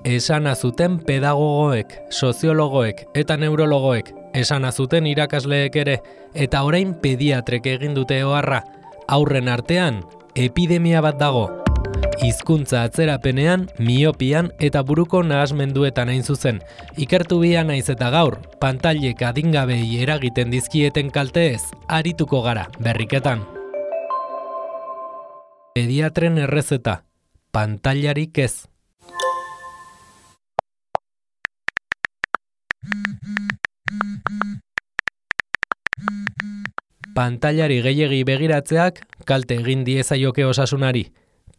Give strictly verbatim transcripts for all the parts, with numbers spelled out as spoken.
esana zuten pedagogoek, soziologoek eta neurologoek, esana zuten irakasleek ere, eta orain pediatrek egin dute oharra. Aurren artean, epidemia bat dago. Hizkuntza atzerapenean, miopian eta buruko nahasmenduetan hain zuzen. Ikertu bia naiz eta gaur, pantailek adingabei eragiten dizkieten kalteez, arituko gara, berriketan. Pediatren errezeta, pantailarik ez. Pantailari gehiegi begiratzeak kalte egin diezaioke osasunari.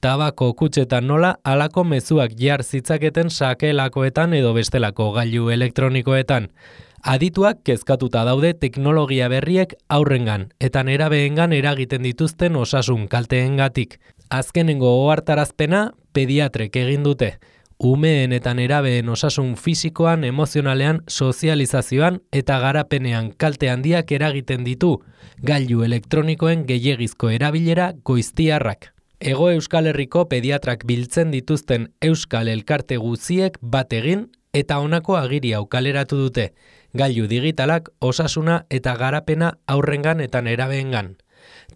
Tabako kutxetan nola halako mezuak jar zitzaketen sakelakoetan edo bestelako gailu elektronikoetan. Adituak kezkatuta daude teknologia berriek aurrengan eta nerabeengan eragiten dituzten osasun kalteengatik. Azkenengo ohartarazpena pediatrek egin dute. Umeen eta nerabeen osasun fisikoan, emozionalean, sozializazioan eta garapenean kalte handiak eragiten ditu gailu elektronikoen gehiegizko erabilera goiztiarrak. Hego Euskal Herriko pediatrak biltzen dituzten euskal elkarte guziek bat egin eta honako agiri hau kaleratu dute. Gailu digitalak osasuna eta garapena aurrengan eta nerabeengan.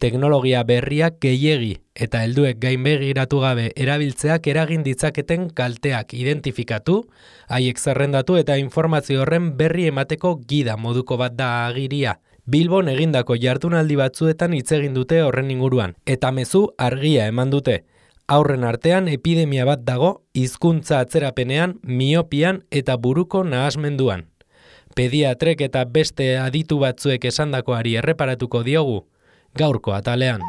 Teknologia berriak gehiegi eta helduek gainbegiratu gabe erabiltzeak eragin ditzaketen kalteak identifikatu, haiek zerrendatu eta informazio horren berri emateko gida moduko bat da agiria. Bilbon egindako jardunaldi batzuetan hitz egin dute horren inguruan, eta mezu argia eman dute. Aurren artean epidemia bat dago hizkuntza atzerapenean, miopian eta buruko nahasmenduan. Pediatrek eta beste aditu batzuek esandakoari erreparatuko diogu, gaurko atalean.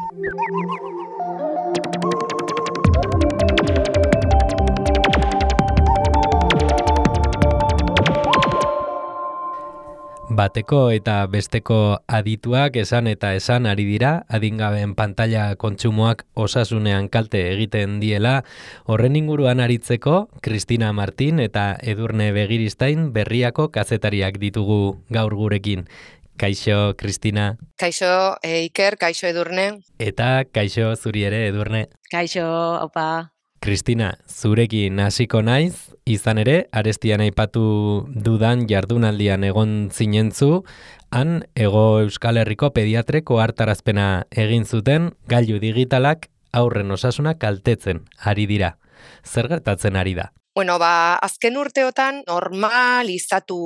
Bateko eta besteko adituak esan eta esan ari dira, adingabeen pantalla kontsumoak osasunean kalte egiten diela, horren inguruan aritzeko, Kristina Martin eta Edurne Begiristain Berriako kazetariak ditugu gaur gurekin. Kaixo, Kristina. Kaixo, e, Iker, kaixo Edurne. Eta kaixo zuri ere, Edurne. Kaixo, opa. Kristina, zurekin hasiko naiz, izan ere, arestian aipatu dudan jardunaldian egon zinentzu, han Hego Euskal Herriko pediatreko hartarazpena egin zuten, gailu digitalak aurren osasuna kaltetzen ari dira. Zer gertatzen ari da? Bueno, ba, azken urteotan normalizatu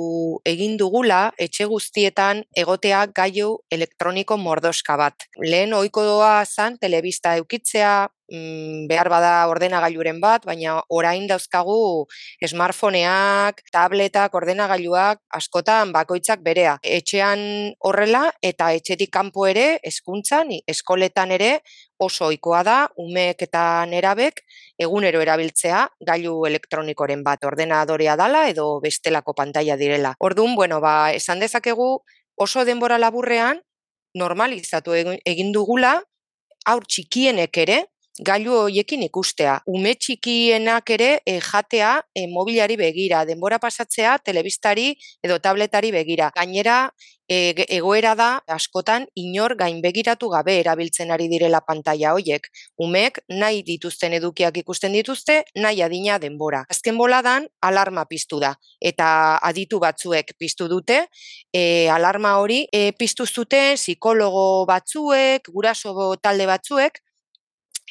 egin dugula etxe guztietan egotea gailu elektroniko mordoska bat. Lehen ohikoa zan telebista eukitzea, mm, behar bada ordenagailuren bat, baina orain dauzkagu smartphoneak, tabletak, ordenagailuak askotan bakoitzak berea. Etxean horrela eta etxetik kanpo ere, hezkuntzan, eskoletan ere oso ohikoa da umeek eta nerabek egunero erabiltzea gailu elektronikoren bat, ordenadorea dala edo bestelako pantaila direla. Orduan, bueno, ba, esan dezakegu oso denbora laburrean normalizatu egin dugula haur txikienek ere gailu horiekin ikustea. Ume txikienak ere e, jatea e, mobilari begira, denbora pasatzea telebistari edo tabletari begira. Gainera, e, egoera da askotan inor gainbegiratu gabe erabiltzen ari direla pantaila hoiek. Umeek nahi dituzten edukiak ikusten dituzte, nahi adina denbora. Azken boladan alarma piztu da eta aditu batzuek piztu dute, e, alarma hori e, piztu zuten psikologo batzuek, guraso talde batzuek,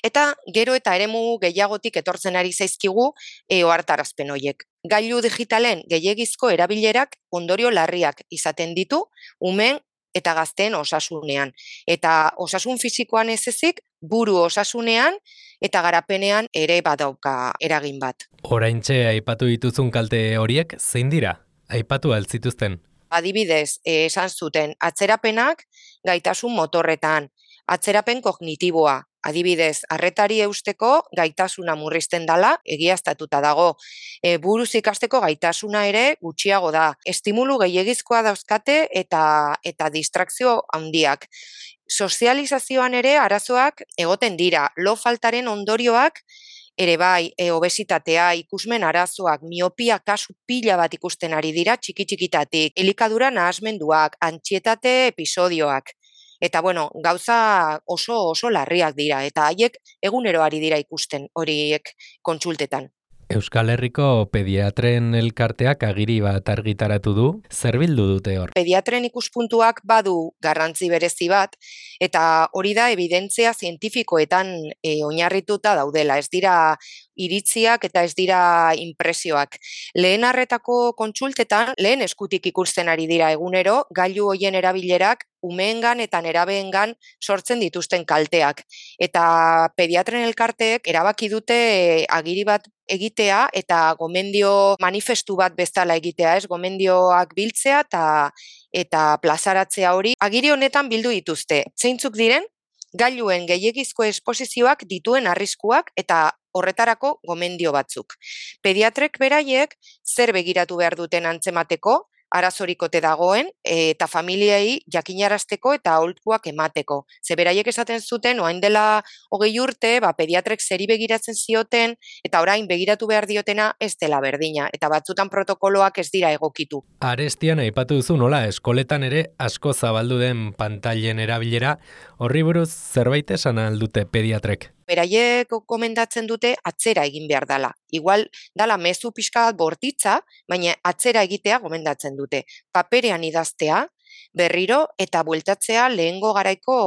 eta gero eta eremu gehiagotik etortzen ari zaizkigu e, ohartarazpen horiek. Gailu digitalen gehiegizko erabilerak ondorio larriak izaten ditu umen eta gazteen osasunean. Eta osasun fisikoan ez ezik, buru osasunean eta garapenean ere badauka eragin bat. Oraintxe aipatu dituzun kalte horiek zein dira? Aipatu altzituzten? Adibidez, eh, esan zuten atzerapenak gaitasun motorretan, atzerapen kognitiboa, adibidez, arretari eusteko gaitasuna murrizten dala, egiaztatuta dago. E, buruz ikasteko gaitasuna ere gutxiago da. Estimulu gehiegizkoa dauzkate eta eta distrakzio handiak. Sozializazioan ere arazoak egoten dira. Lo faltaren ondorioak ere bai, e, obesitatea, ikusmen arazoak, miopia kasu pila bat ikusten ari dira txiki-txikitatik, elikadura nahasmenduak, antsietate episodioak. Eta bueno, gauza oso oso larriak dira eta haiek egunero ari dira ikusten horiek kontsultetan. Euskal Herriko Pediatren Elkarteak agiri bat argitaratu du, zer bildu dute hor? Pediatren ikuspuntuak badu garrantzi berezi bat, eta hori da evidentzia zientifikoetan e, oinarrituta daudela, ez dira iritziak eta ez dira inpresioak. Lehen arretako kontsultetan, lehen eskutik ikusten ari dira egunero, gailu hoien erabilerak umeengan eta nerabeengan sortzen dituzten kalteak. Eta pediatren elkarteek erabaki dute agiri bat egitea eta gomendio manifestu bat bezala egitea, ez? Gomendioak biltzea eta eta plazaratzea hori. Agiri honetan bildu dituzte. Zeintzuk diren? Gailuen gehiegizko esposizioak dituen arriskuak eta horretarako gomendio batzuk. Pediatrek beraiek zer begiratu behar duten antzemateko, arazorikote dagoen, eta familiei jakinarazteko eta aholkuak emateko. Ze beraiek esaten zuten, oain dela hogei urte, ba, pediatrek zeri begiratzen zioten, eta orain begiratu behar diotena ez dela berdina, eta batzutan protokoloak ez dira egokitu. Arestian aipatu duzu nola, eskoletan ere asko zabaldu den pantailen erabilera, horri buruz zerbait esan aldute pediatrek? Beraiek komendatzen dute atzera egin behar dala. Igual dala mezu pixka bat bortitza, baina atzera egitea gomendatzen dute. Paperean idaztea, berriro eta bueltatzea lehengo garaiko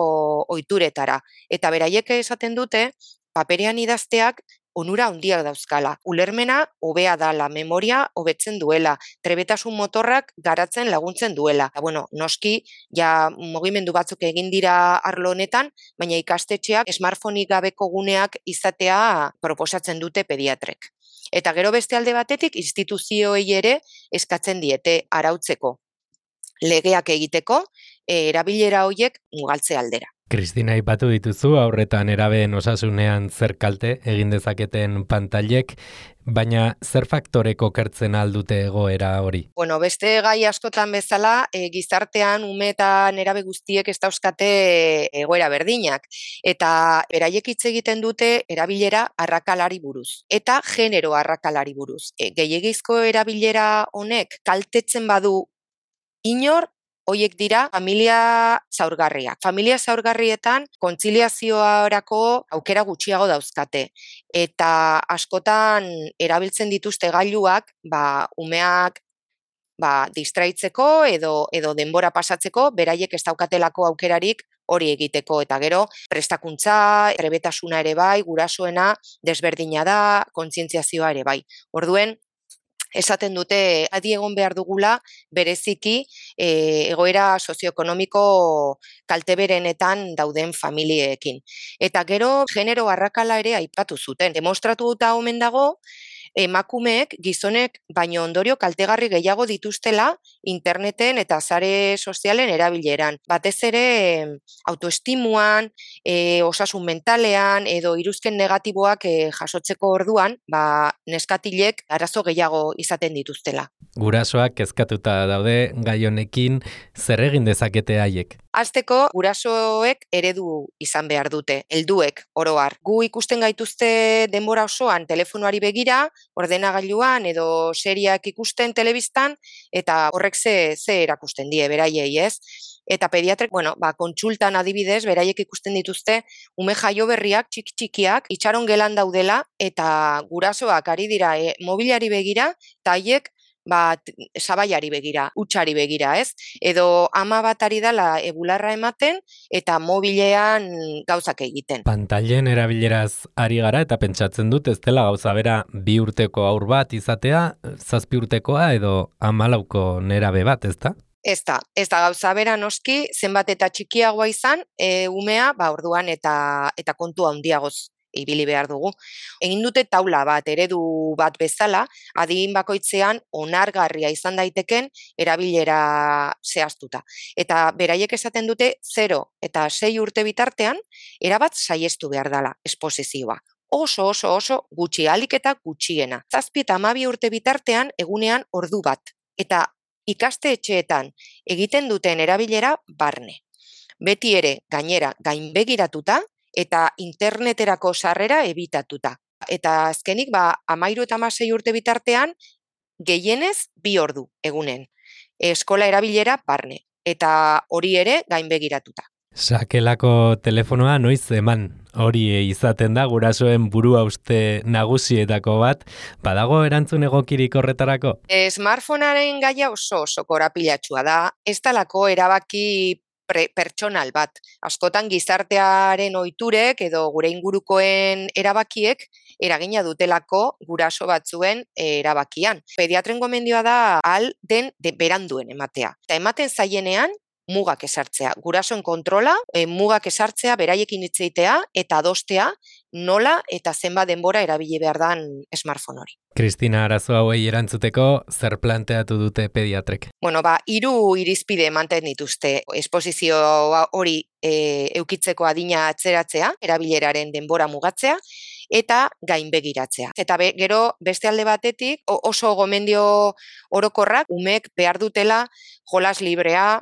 ohituretara. Eta beraiek esaten dute, paperean idazteak onura handiak dauzkala. Ulermena hobea dala, memoria hobetzen duela, trebetasun motorrak garatzen laguntzen duela. Eta, bueno, noski, ja mugimendu batzuk egin dira arlo honetan, baina ikastetxeak smartphoneik gabeko guneak izatea proposatzen dute pediatrek. Eta gero beste alde batetik, instituzioei ere eskatzen diete arautzeko, legeak egiteko, erabilera horiek mugaltze aldera. Kristina, aipatu dituzu, aurretan erabeen osasunean zer kalte egin dezaketen pantailek, baina zer faktoreko kertzen aldute egoera hori? Bueno, beste gai askotan bezala, e, gizartean ume eta nerabe guztiek ez dauzkate egoera berdinak. Eta beraiek hitz egiten dute erabilera arrakalari buruz. Eta genero arrakalari buruz. E, gehiegizko erabilera honek kaltetzen badu inor, hoiek dira familia zaurgarriak. Familia zaurgarrietan kontziliazioarako aukera gutxiago dauzkate. Eta askotan erabiltzen dituzte gailuak, ba, umeak ba, distraitzeko edo, edo denbora pasatzeko, beraiek ez daukatelako aukerarik hori egiteko. Eta gero, prestakuntza, trebetasuna ere bai, gurasoena desberdina da, kontzientziazioa ere bai. Orduen, esaten dute adi egon behar dugula bereziki e, egoera sozioekonomiko kalteberenetan dauden familieekin. Eta gero genero arrakala ere aipatu zuten. Demostratuta omen dago emakumeek gizonek baino ondorio kaltegarri gehiago dituztela interneten eta sare sozialen erabileran. Batez ere autoestimuan, e, osasun mentalean edo iruzken negatiboak e, jasotzeko orduan, ba, neskatilek arazo gehiago izaten dituztela. Gurasoak kezkatuta daude gai honekin, zer egin dezakete haiek? Hasteko gurasoek eredu izan behar dute, helduek oro har. Gu ikusten gaituzte denbora osoan telefonoari begira, ordenagailuan edo seriak ikusten telebistan, eta horrek ze, ze erakusten die beraiei, ez? Eta pediatrek, bueno, ba, kontsultan adibidez, beraiek ikusten dituzte, ume jaio berriak, txiki-txikiak, itxaron gelan daudela, eta gurasoak ari dira e, mobilari begira, eta haiek ba, sabaiari begira, hutsari begira, ez? Edo ama bat ari dala ebularra ematen eta mobilean gauzak egiten. Pantailen erabileraz ari gara eta pentsatzen dut ez dela gauza bera bi urteko haur bat izatea, zazpi urtekoa edo hamalauko nerabe bat, ezta? Ez da, ez da gauza bera noski, zenbat eta txikiagoa izan, e, umea, ba, orduan eta, eta kontu handiagoz ibili behar dugu. Egin dute taula bat, eredu bat bezala, adin bakoitzean onargarria izan daiteken erabilera zehaztuta. Eta beraiek esaten dute zero eta sei urte bitartean, erabat saiestu behar dela esposizioa. Oso, oso, oso gutxi, ahalik eta gutxiena. Zazpi eta hamabi urte bitartean egunean ordu bat. Eta ikaste etxeetan egiten duten erabilera barne. Beti ere gainera gainbegiratuta, eta interneterako sarrera ebitatuta. Eta azkenik, ba, amairu eta hamasei urte bitartean, gehienez bi ordu egunen. Eskola erabilera barne, eta hori ere gainbegiratuta. Sakelako telefonoa noiz eman, hori izaten da gurasoen burua uste nagusietako bat, badago erantzun egokirik horretarako? Smartphonearen gaia oso oso korapilatsua da, ez dalako erabaki pre, pertsonal bat. Askotan gizartearen ohiturek edo gure ingurukoen erabakiek eragina dutelako guraso batzuen erabakian. Pediatren gomendioa da ahal den de beranduen ematea. Eta ematen zaienean, mugak esartzea, gurasoen kontrola, e, mugak esartzea, beraiekin hitz egitea eta adostea nola eta zenbat denbora erabili behar dan smartphone hori. Kristina, arazo hauei erantzuteko zer planteatu dute pediatrek? Bueno, ba, hiru irizpide ematen dituzte. Esposizio hori e, eukitzeko adina atzeratzea, erabileraren denbora mugatzea, eta gainbegiratzea. Eta be, gero beste alde batetik oso gomendio orokorrak umek behar dutela jolas librea,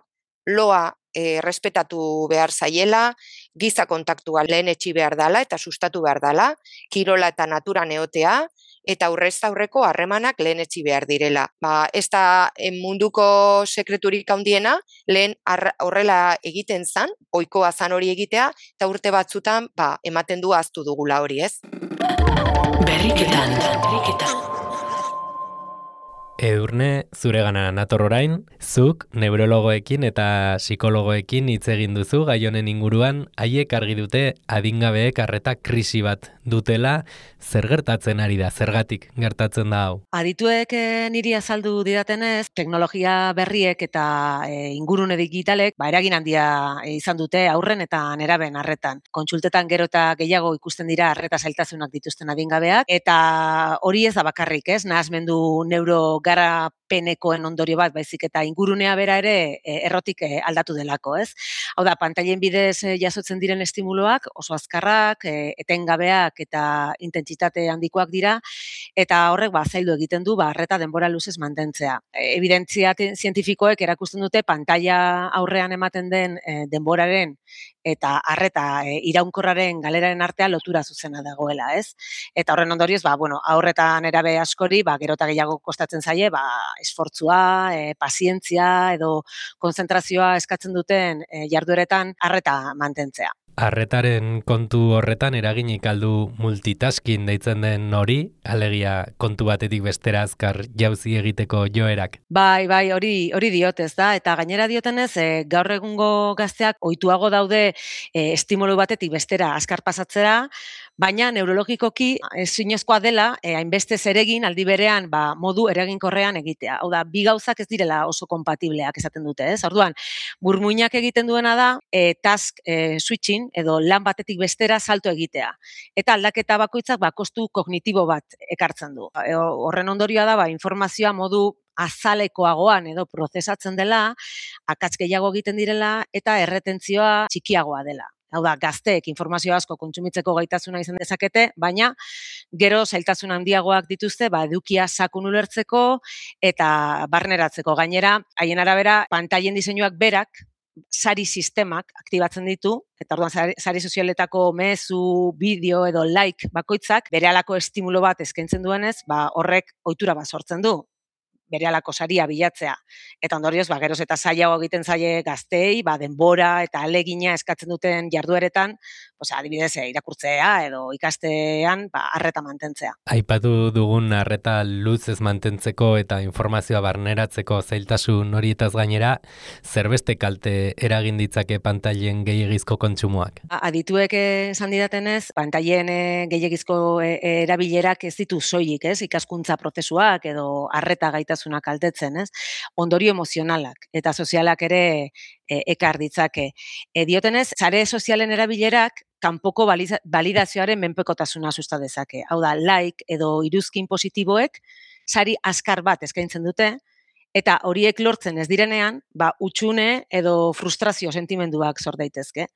loa e, respetatu behar zaiela, giza kontaktua lehen etxi behar dala eta sustatu behar dala, kirola eta natura neotea, eta aurrez aurreko harremanak lehen etxi behar direla. Ba, ez da munduko sekreturik handiena, lehen horrela egiten zan, ohikoa zan hori egitea, eta urte batzutan ba, ematen du ahaztu dugula hori, ez? Berriketan, berriketan. Edurne, zuregana nator orain, zuk neurologoekin eta psikologoekin hitz egin duzu gai honen inguruan, haiek argi dute adingabeek arreta krisi bat dutela, zer gertatzen ari da, zergatik gertatzen da hau? Adituek e, niri azaldu didatenez, teknologia berriek eta e, ingurune digitalek ba, eragin handia e, izan dute aurren eta neraben arretan. Kontsultetan gero eta gehiago ikusten dira arreta zailtasunak dituzten adingabeak, eta hori ez da bakarrik, ez? Nahasmendu neuro garapenekoen ondorio bat, baizik eta ingurunea bera ere e, errotik e, aldatu delako, ez? Hau da, pantailen bidez e, jasotzen diren estimuloak oso azkarrak, e, etengabeak eta intentsitate handikoak dira, eta horrek ba, zaildu egiten du ba, arreta denbora luzez mantentzea. E, evidentzia zientifikoek erakusten dute pantaila aurrean ematen den e, denboraren eta arreta e, iraunkorraren galeraren artea lotura zuzena dagoela, ez? Eta horren ondorioz, ba, bueno, aurretan erabe askori, ba, gero eta gehiago kostatzen zaie, ba, esfortzua, e, pazientzia edo konzentrazioa eskatzen duten e, jardueretan arreta mantentzea. Arretaren kontu horretan eraginik aldu multitasking deitzen den hori, alegia kontu batetik bestera azkar jauzi egiteko joerak. Bai, bai, hori hori diotez da, eta gainera diotenez, e, gaur egungo gazteak ohituago daude e, estimulu batetik bestera azkar pasatzera, baina neurologikoki ezinezkoa dela, e, hainbeste zeregin aldi berean ba, modu eraginkorrean egitea. Hau da, bi gauzak ez direla oso kompatibleak esaten dute, ez? Orduan, burmuinak egiten duena da, e, task e, switching, edo lan batetik bestera salto egitea. Eta aldaketa bakoitzak ba, kostu kognitibo bat ekartzen du. E, horren ondorioa da, ba, informazioa modu azalekoagoan edo prozesatzen dela, akats gehiago egiten direla eta erretentzioa txikiagoa dela. Hau da, gazteek informazio asko kontsumitzeko gaitasuna izan dezakete, baina gero zailtasun handiagoak dituzte, ba, edukia sakun ulertzeko eta barneratzeko. Gainera, haien arabera, pantailen diseinuak berak, sari sistemak aktibatzen ditu, eta orduan sari, sari sozialetako mezu, bideo edo like bakoitzak, berehalako estimulo bat eskaintzen duenez, ba, horrek ohitura bat sortzen du. Berehalako saria bilatzea. Eta ondorioz, ba, geroz eta zailago egiten zaie gaztei, ba, denbora eta alegina eskatzen duten jardueretan, osea, adibidez, irakurtzea edo ikastean, ba, arreta mantentzea. Aipatu dugun arreta luzez mantentzeko eta informazioa barneratzeko zailtasun horietaz gainera, zerbeste kalte eragin ditzake pantailen gehiegizko kontsumoak? Adituek esan didatenez, pantailen gehiegizko erabilerak ez ditu soilik, ez? Ikaskuntza prozesuak edo arreta gaitasun kaltetzen, ez? Ondorio emozionalak eta sozialak ere e, ekar ditzake. E, diotenez, sare sozialen erabilerak kanpoko validazioaren menpekotasuna susta dezake. Hau da, like edo iruzkin positiboek sari azkar bat eskaintzen dute, eta horiek lortzen ez direnean, ba, utxune edo frustrazio sentimenduak sor daitezke.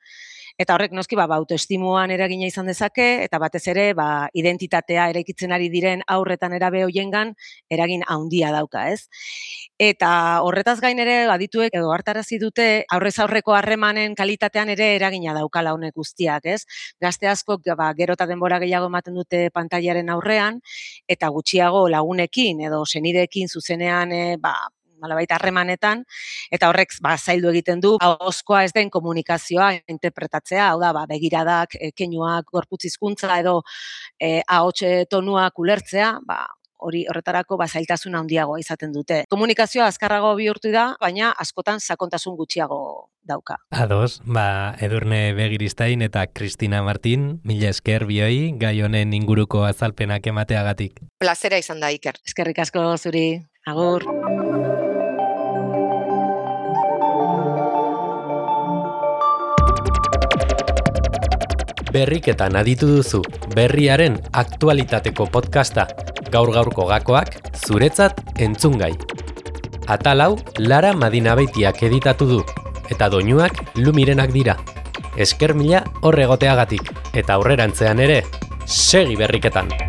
Eta horrek noski ba, ba, autoestimuan eragina izan dezake, eta batez ere ba, identitatea eraikitzen ari diren aurretan erabe hoiengan eragin handia dauka, ez? Eta horretaz gain ere adituek edo hartarazi dute aurrez aurreko harremanen kalitatean ere eragina daukala honek guztiak, ez? Gazte askok ba, gero eta denbora gehiago ematen dute pantailaren aurrean, eta gutxiago lagunekin edo senideekin zuzenean e, ba, nolabait harremanetan, eta horrek ba, zaildu egiten du ahozkoa ez den komunikazioa interpretatzea, hau da, ba, begiradak, e, keinuak, gorputz hizkuntza edo e, ahotse tonuak ulertzea, ba, hori horretarako ba, zailtasun handiagoa izaten dute. Komunikazioa azkarrago bihurtu da, baina askotan sakontasun gutxiago dauka. Ados, ba, Edurne Begiristain eta Kristina Martin, mila esker bioi, gai honen inguruko azalpenak emateagatik. Plazera izan da, Iker. Eskerrik asko zuri, agur. Berriketan aditu duzu, berriaren aktualitateko podcasta, gaur-gaurko gakoak, zuretzat entzungai. Atalau, Lara Madinabeitiak editatu du, eta doinuak Lumirenak dira. Esker mila horregoteagatik, eta aurrerantzean ere, segi berriketan!